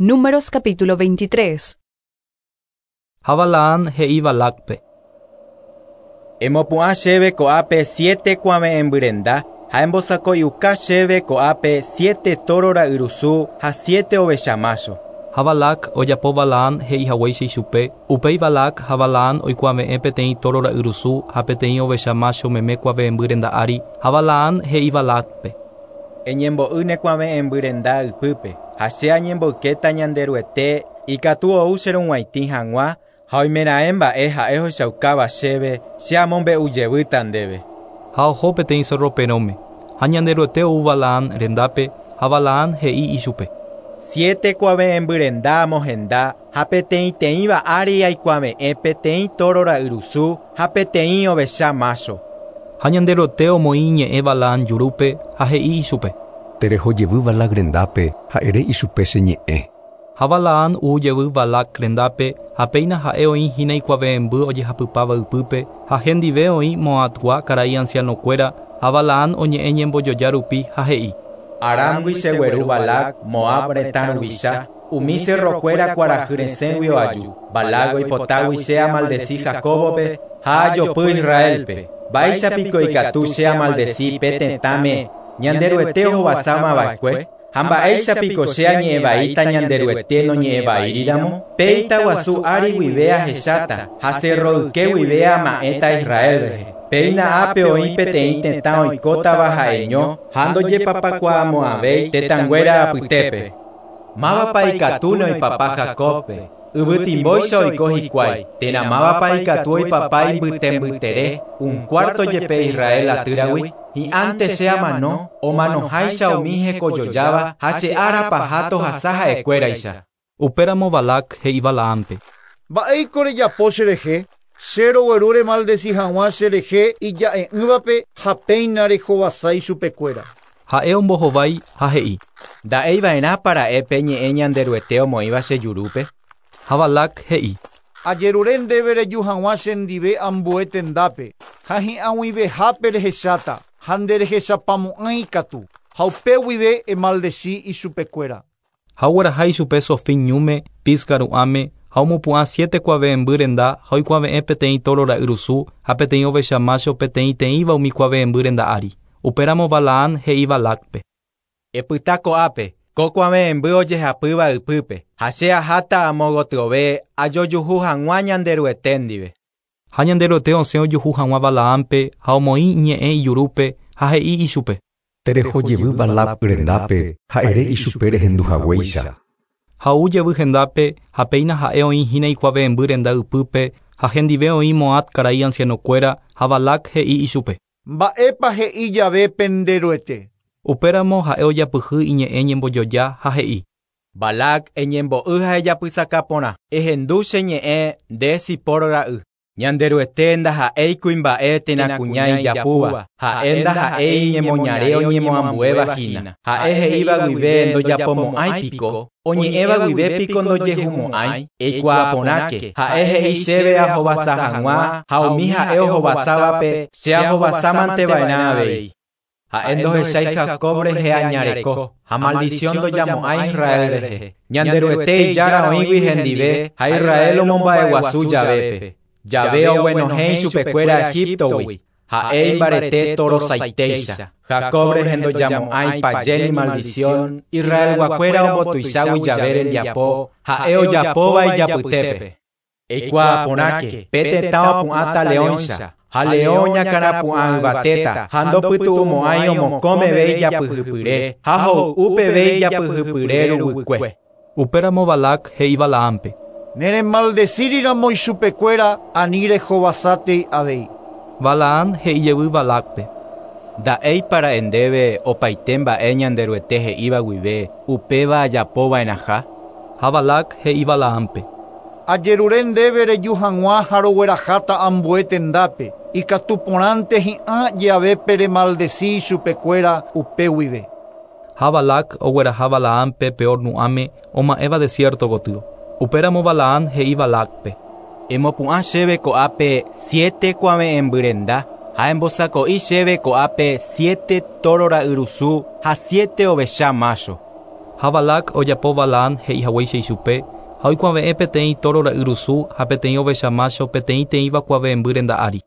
Números capítulo 23. Ha Balaam he'i Balácpe. Emopu'ã chéve ko'ápe siete kuave'ẽmbyrenda ha embosako'iuka chéve ko'ápe siete tóro ra'yrusu ha siete ovecha mácho. Ha Balac ojapo Balaam he'ihaguéicha ichupe, upéi Balac ha Balaam oikuave'ẽ peteĩ tóro ra'yrusu ha peteĩ ovecha mácho meme kuave'ẽmbyrenda ári, ha Balaam he'i Balácpe. Eñembo'y ne kuave'ẽmbyrenda ypýpe, ha che añemboykéta Ñanderuete ikatu ou cherug̃uaitĩ hag̃ua ha oimeraẽ mba'e ha'e ohechaukáva chéve che amombe'ujevýta ndéve. Ha oho peteĩ cerro perõme, ha Ñanderuete ou Balaam rendápe ha Balaam he'i ichupe. Siete kuave'ẽmbyrenda amohenda ha peteĩteĩva ári aikuave'ẽ peteĩ tóro ra'yrusu ha peteĩ ovecha mácho. Ha Ñanderuete omoĩ iñe'ẽ Balaam jurúpe ha he'i ichupe. Tereho jevy Balac rendápe ha ere ichupe che ñe'ẽ. Ha Balaam ou jevy Balac rendápe ha péina ha'e oĩhína ikuave'ẽmby ojehapypáva ypýpe ha hendive oĩ Moabgua karai ancianokuéra ha Balaam oñe'ẽ ñembojoja rupi ha he'i. Aramgui chegueru Balac, Moab retã ruvicha, umi cerrokuéra kuarahy resẽgui oaju. Balac oipotágui che amaldeci Jacóbope ha ajopy Israelpe. Mba'éichapiko ikatu che amaldeci pe tetãme Ñanderuete ohovasámava'ekue ha mba'éichapiko che añe'ẽvaíta Ñanderuete noñe'ẽvaíriramo, pe itaguasu ári guive ahecháta ha cerro yke guive ama'ẽta Israel rehe. Péina ápe oĩ peteĩ tetã oikótava ha'eño ha ndojepapakuaamo'ãvéi tetãnguéra apytépe. Mávapa ikatúne oipapa Jacóbpe, yvytimbóicha oiko hikuái, térã mávapa ikatu oipapa imbytembytere un cuarto jepe Israel atýragui, hi'ánte che amano omanoháicha umi hekojojáva ha che ára paha tohasa ha'ekuéraicha. Upéramo Balac he'i Balaampe. Mba'éiko rejapo cherehe, che rogueru remaldeci hag̃ua cherehe ija'e'ỹvape ha péina rehovasa ichupekuéra. Ha'e ombohovái ha he'i. Nda'eiva'erãpa ra'e pe ñe'ẽ Ñanderuete omoĩva che jurúpe. Ha Balac he'i. Ajerure ndéve reju hag̃ua chendive ambue tendápe ha hi'ag̃uivehápe rehecháta ha nderehechapamo'ãi katu ha upe guive emaldeci ichupekuéra. Ha ogueraha ichupe Sofín ñúme, Pisga ru'ãme ha omopu'ã siete kuave'ẽmby renda ha oikuave'ẽ peteĩ tóro ra'yrusu ha peteĩ ovecha mácho peteĩteĩva umi kuave'ẽmby renda ári. Upéramo Balaam he'i Balácpe. Epyta ko'ápe, ko kuave'ẽmby ojehapýva ypýpe, ha che aháta amo gotyove ajojuhu hag̃ua Ñanderuete ndive. Ha Ñanderuete osẽ ojuhu hag̃ua Balaampe ha omoĩ iñe'ẽ ijurúpe ha he'i ichupe. Tereho jevy Balac rendápe ha ere ichupe rehenduhaguéicha. Ha ou jevy hendápe ha péina ha'e oĩhína ikuave'ẽmby renda ypýpe ha hendive oĩ Moab karai ancianokuéra ha Balac he'i ichupe. Mba'épa he'i jave penderuete. Upéramo ha'e ojapyhy iñe'ẽ ñembojoja ha he'i. Balac eñembo'y ha ejapysaka porã, ehendu che ñe'ẽ nde Sipor ra'y. Ñanderuete ndaha'éi kuimba'e térã kuña ijapúva, ha'e ndaha'éi iñemoñare oñemoambuéva hína. Ha'e he'íva guive ndojapomo'ãi piko, oñe'ẽva guive piko ndojehumo'ãi, eikuaa porãke. Ha'e he'i chéve ahovasa hag̃ua ha umi ha'e ohovasávape che ahovasámanteva'erã avei. Ha'e ndohechái Jacob rehe añareko, ha maldición ndojamo'ãi Israel rehe. Ñanderuete ijára oĩgui hendive ha Israel omomba'eguasu javépe. Jave oguenohẽ ichupekuéra Egiptogui, ha'e imbarete torosaitéicha. Jacob rehe ndojamo'ãi paje ni maldición, Israelguakuéra ombotuichágui jave rembiapo, ha'e ojapóva ijapytépe. Eikuaa porãke, pe tetã opu'ãta leõicha, ha leõ oñakãrapu'ã yvatéta, ha ndopytu'umo'ãi omokõ meve ijapyhypyre, ha hoy'u peve ijapyhypyre ruguykue. Upéramo Balac he'i Balaampe. Neremaldecíriramo ichupekuéra ani rehovasátei avei. Balaam he'i jevy Balácpe. Nda'éipa ra'e ndéve opaite mba'e Ñanderuete he'íva guive upéva ajapova'erãha. Ha Balac he'i Balaampe. Ajerure ndéve reju hag̃ua ha rogueraháta ambue tendápe, ikatu porãnte hi'ã javépe remaldeci ichupekuéra upe guive. Ha Balac ogueraha Balaampe Peor ru'ãme oma'ẽva desierto gotyo. Upéramo Balaam he'i Balácpe. Emopu'ã chéve ko'ápe siete kuave'ẽmbyrenda ha embosako'i chéve ko'ápe siete tóro ra'yrusu ha siete ovecha mácho. Ha Balac ojapo Balaam he'ihaguéicha ichupe, ha oikuave'ẽ peteĩ tóro ra'yrusu ha peteĩ ovecha mácho peteĩteĩva kuave'ẽmby renda ári.